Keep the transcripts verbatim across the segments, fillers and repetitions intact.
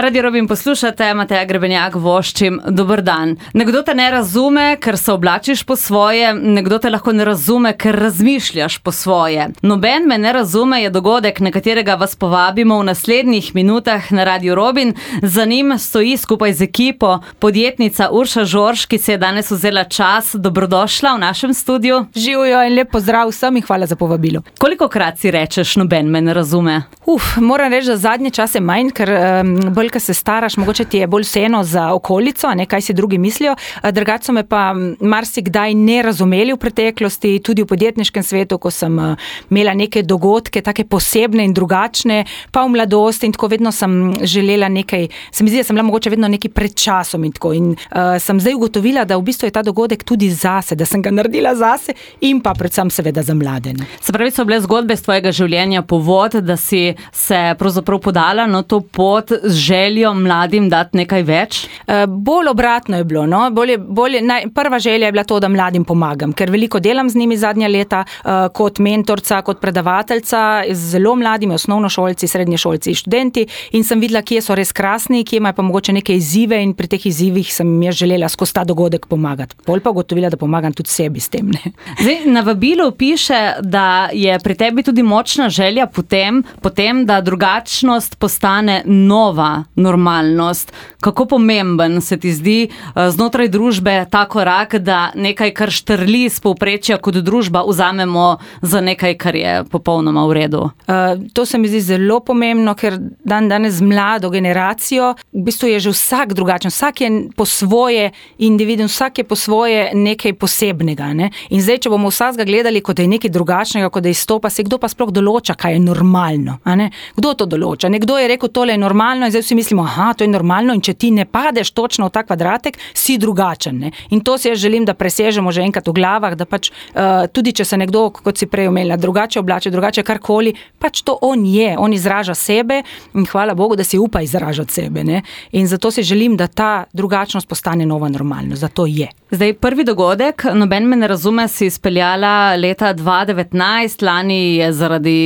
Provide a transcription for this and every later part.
Radio Robin poslušate, Mateja Grebenjak voščim, dober dan. Nekdo te ne razume, ker se oblačiš po svoje, nekdo te lahko ne razume, ker razmišljaš po svoje. Noben me ne razume je dogodek, na katerega vas povabimo v naslednjih minutah na Radio Robin. Za njim stoji skupaj z ekipo podjetnica Urša Žorž, ki se je danes vzela čas. Dobrodošla v našem studiu. Živijo in lep pozdrav vsem in hvala za povabilo. Kolikokrat si rečeš, noben me ne razume? Uf, moram reči, da zadnje čase manj, ker um, bolj, ko se staraš, mogoče ti je bolj vseeno za okolico, a ne, kaj si drugi mislijo. Drugače so me pa marsikdaj ne razumeli v preteklosti, tudi v podjetniškem svetu, ko sem uh, imela neke dogodke, take posebne in drugačne, pa v mladosti in tako vedno sem želela nekaj, se mi zdi, da sem bila mogoče vedno nekaj pred časom in tako. In uh, sem zdaj ugotovila, da v bistvu je ta dogodek tudi zase, da sem ga naredila zase in pa predvsem seveda za mlade. Ne. Se pravi, so bile zgodbe z tvojega življenja povod, da si se pravzaprav podala na to pot z željo mladim dati nekaj več? Uh, bolj obratno je bilo. No? Bolje, bolje, naj, prva želja je bila to, da mladim pomagam, ker veliko delam z njimi zadnja leta uh, kot mentorca, kot predavateljca, z zelo mladimi, osnovnošolci, srednješolci, študenti in sem videla, kje so res krasni, kje imajo pa mogoče neke izzive in pri teh izzivih sem jaz želela skozi ta dogodek pomagati. Bolj pa ugotovila, da pomagam tudi sebi s tem. Ne? Zdaj, na vabilu piše, da je pri tebi tudi močna želja potem, potem, da drugačnost postane nova normalnost. Kako pomemben se ti zdi znotraj družbe ta korak, da nekaj, kar štrli z povprečja kot družba, vzamemo za nekaj, kar je popolnoma v redu? Uh, to se mi zdi zelo pomembno, ker dan danes z mlado generacijo, v bistvu je že vsak drugačen, vsak je po svoje individuum, vsak je po svoje nekaj posebnega. Ne? In zdaj, če bomo vsakega gledali, kot da je nekaj drugačnega, kot da izstopa, se kdo pa sploh določa, kaj je normalno. A ne? Kdo to določa? Nekdo je rekel, tole je normalno in zdaj vsi mislimo, aha, to je normalno in če ti ne padeš točno v ta kvadratek, si drugačen. Ne? In to si jaz želim, da presežemo že enkrat v glavah, da pač uh, tudi če se nekdo, kot si prej omenila, drugače oblače, drugače karkoli, pač to on je, on izraža sebe in hvala Bogu, da si upa izražati sebe. Ne? In zato si želim, da ta drugačnost postane nova normalnost. Zato je. Zdaj, prvi dogodek, noben me ne razume, si izpeljala leta dva devetnajst, lani je zaradi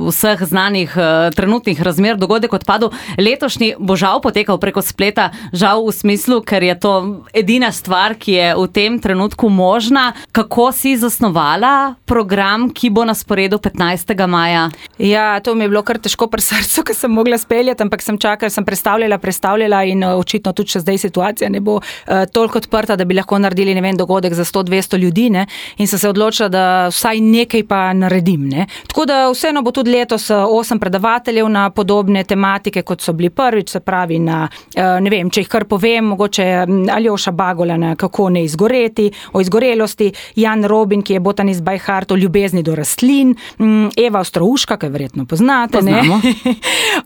vseh znanih uh, trenutnih razmer dogodek odpadel. Letošnji bo žal potekal preko spleta, žal v smislu, ker je to edina stvar, ki je v tem trenutku možna. Kako si zasnovala program, ki bo na sporedu petnajstega maja? Ja, to mi je bilo kar težko pri srcu, ker sem mogla speljati, ampak sem čakala, sem prestavljala, prestavljala in uh, očitno tudi še zdaj situacija ne bo uh, toliko odprta, da bi lahko naredili, ne vem, dogodek za sto dvesto ljudi, ne, in sem se odločila, da vsaj nekaj pa naredim, ne. Tako da vseeno bo tudi letos osem predavateljev na podobne tematike, kot so bili prvič, se pravi na, ne vem, če jih kar povem, mogoče Aljoša Bagola na kako ne izgoreti, o izgorelosti, Jan Robin, ki je botanist by heart, o ljubezni do rastlin, Eva Ostrouška, ki verjetno poznate, ne,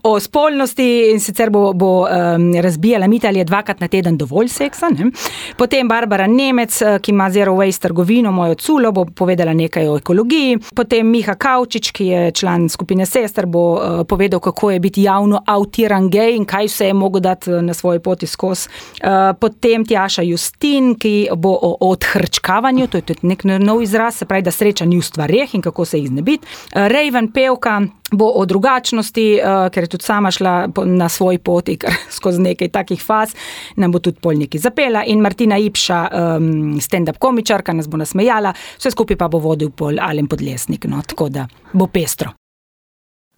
o spolnosti in sicer bo, bo um, razbijala mit, ali je dvakrat na teden dovolj seksa, ne. Potem Barbara Nemec, ki ima Zero Waste trgovino, mojo culo, bo povedala nekaj o ekologiji. Potem Miha Kavčič, ki je član skupine Sester, bo uh, povedal, kako je biti javno autiran gej in kaj vse je mogel dati na svoji poti skozi. Uh, potem Tjaša Justin, ki bo o, o odhrčkavanju, to je tudi nek nov izraz, se pravi, da sreča ni v stvareh in kako se jih znebiti. Uh, Raven Pevka bo o drugačnosti, uh, ker je tudi sama šla na svoj poti, ker skozi nekaj takih faz, nam bo tudi pol nekaj zapela in Martina Ipša, um, stand-up komičarka, nas bo nasmejala, vse skupaj pa bo vodil pol Alen Podlesnik, no, tako da bo pestro.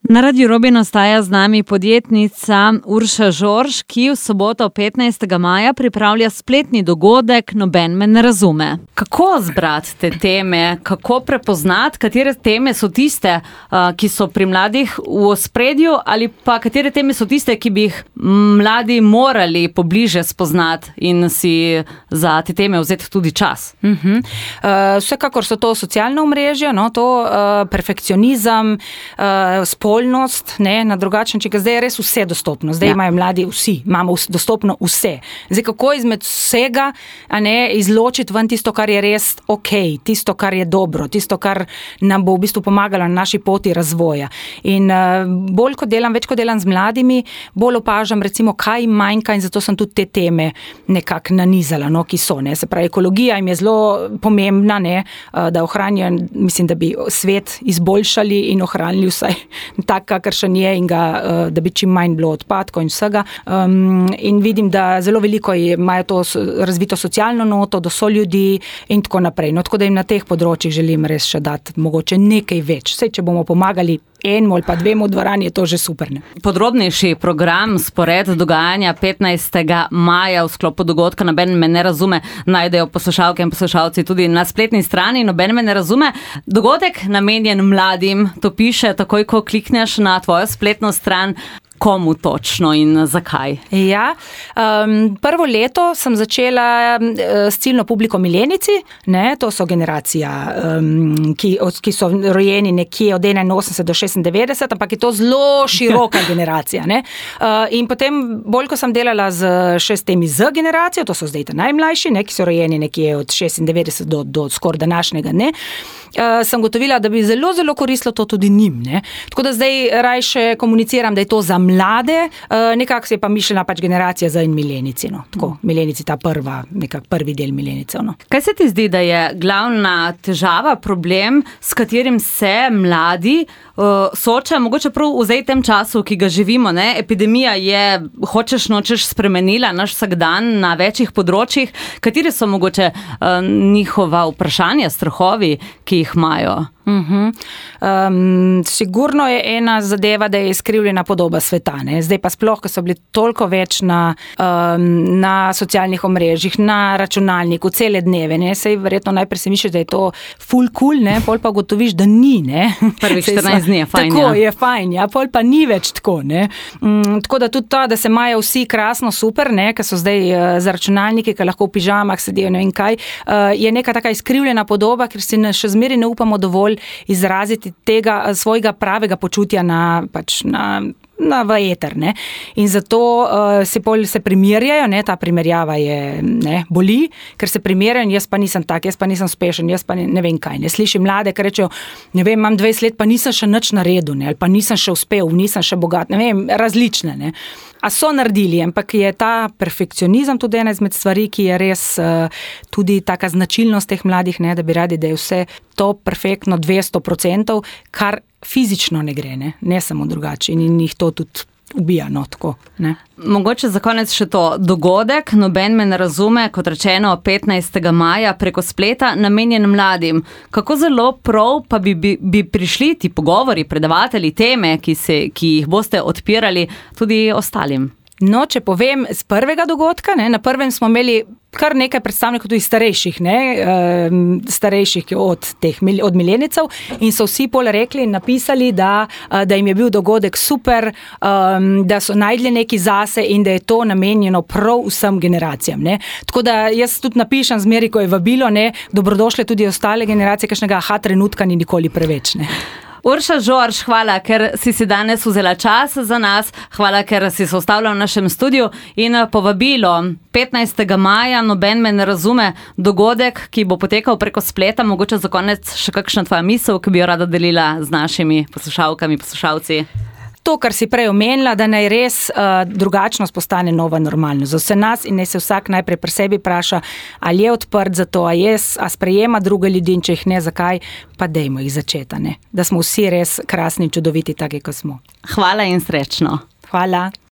Na Radio Robin ostaja z nami podjetnica Urša Žorž, ki v soboto petnajstega maja pripravlja spletni dogodek Noben me ne razume. Kako zbrati te teme, kako prepoznati, katere teme so tiste, ki so pri mladih v ospredju, ali pa katere teme so tiste, ki bi jih mladi morali pobliže spoznati in si za te teme vzeti tudi čas? Uh-huh. Uh, vsekakor so to socialno omrežje, no, to uh, perfekcionizem, uh, spolnost, ne, na drugačen, če zdaj je res vse dostopno. Zdaj ja. Imajo mladi vsi, imamo dostopno vse. Zdaj, kako izmed vsega, a ne, izločiti ven tisto, kar je res ok, tisto, kar je dobro, tisto, kar nam bo v bistvu pomagalo na naši poti razvoja. In uh, bolj kot delam, več kot delam z mladimi, bolj opažam recimo, kaj manjka in zato sem tudi te teme nekako nanizala, no, ki so, ne. Se pravi, ekologija jim je zelo pomembna, ne, uh, da ohranijo, mislim, da bi svet izboljšali in ohranili vsaj tak, kakršen je in ga, da bi čim manj bilo odpadkov in vsega. Um, in vidim, da zelo veliko imajo to razvito socialno noto, do so ljudi in tako naprej. No, tako da jim na teh področjih želim res še dati mogoče nekaj več. Sej, če bomo pomagali enemu ali pa dvemu dvorani, je to že super. Ne? Podrobnejši program, spored dogajanja petnajstega maja v sklopu dogodka Noben me ne razume, najdejo poslušalke in poslušalci tudi na spletni strani Noben me ne razume. Dogodek namenjen mladim, to piše takoj, ko klikneš na tvojo spletno stran. Komu točno in zakaj? Ja, um, prvo leto sem začela s ciljno publiko milenici, ne, to so generacija, um, ki, ki so rojeni nekje od enainosemdeset do šestindevetdeset, ampak je to zelo široka generacija. Ne. Uh, in potem, bolj ko sem delala z, še s temi Z generacijo, to so zdaj ta najmlajši, ne, ki so rojeni nekje od šestindevetdeset do, do skoraj današnjega, ne, uh, sem gotovila, da bi zelo, zelo koristilo to tudi njim. Ne. Tako da zdaj rajše komuniciram, da je to za mlade, nekako se je pa mišljena pač generacija za in milenici, no. Tako, milenici ta prva, nekak prvi del milenicev, no. Kaj se ti zdi, da je glavna težava, problem, s katerim se mladi uh, soočajo, mogoče prav v zdaj tem času, ki ga živimo, ne? Epidemija je, hočeš nočeš, spremenila naš vsakdan na večjih področjih. Kateri so mogoče uh, njihova vprašanja, strahovi, ki jih imajo? Uh-huh. Um, sigurno je ena zadeva, da je izkrivljena podoba sveta. Ne? Zdaj pa sploh, ko so bili toliko več na, um, na socialnih omrežjih, na računalniku, cele dneve. Ne? Sej verjetno najprej se misliš, da je to ful cool, ne? Pol pa gotoviš, da ni. Ne? Prvih štirinajst dni je fajn. Tako ja. je fajn, ja? Pol pa ni več tako. Ne? Um, tako da tudi to, da se imajo vsi krasno super, ne? Ker so zdaj uh, za računalniki, ki lahko v pižamah sedijo, ne vem kaj, uh, je neka taka izkrivljena podoba, ker si ne, še zmeri ne upamo dovolj izraziti tega svojega pravega počutja na, pač na, na v eter, ne. In zato uh, se pol se primerjajo, ne, ta primerjava je, ne, boli, ker se primerjajo, jaz pa nisem tak, jaz pa nisem uspešen, jaz pa ne, ne vem kaj, ne. Slišim mlade, ki rečejo, ne vem, imam dvajset let, pa nisem še nič naredil, ne, ali pa nisem še uspel, nisem še bogat, ne vem, različne, ne. A so naredili, ampak je ta perfekcionizem tudi ena izmed stvari, ki je res uh, tudi taka značilnost teh mladih, ne, da bi radi, da je vse to perfektno dvesto procentov, kar fizično ne gre, ne, ne samo drugače in jih to tudi ubija, no, tako, ne. Mogoče za konec še to dogodek, Noben me ne razume, kot rečeno petnajstega maja preko spleta, namenjen mladim. Kako zelo prav pa bi, bi, bi prišli ti pogovori, predavatelji, teme, ki, se, ki jih boste odpirali tudi ostalim? No, če povem z prvega dogodka, ne, na prvem smo imeli kar nekaj predstavnikov tudi starejših, ne, uh, starejših od teh, od milenicev in so vsi pol rekli in napisali, da, uh, da jim je bil dogodek super, um, da so najdli neki zase in da je to namenjeno prav vsem generacijam, ne. Tako da jaz tudi napišem zmeri, ko je vabilo, ne, dobrodošle tudi ostale generacije, kakšnega aha trenutka ni nikoli preveč, ne. Urša Žorž, hvala, ker si si danes vzela čas za nas, hvala, ker si se ustavila v našem studiu in povabilo petnajstega maja, Noben me ne razume, dogodek, ki bo potekal preko spleta, mogoče za konec še kakšna tvoja misel, ki bi jo rada delila z našimi poslušalkami, poslušalci. To, kar si prej omenila, da naj res uh, drugačnost postane nova normalnost za vse nas in naj se vsak najprej pri sebi vpraša, ali je odprt za to, a, je, a sprejema druge ljudi in če jih ne, zakaj, pa dejmo jih začeta, ne? Da smo vsi res krasni in čudoviti, taki, kot smo. Hvala in srečno. Hvala.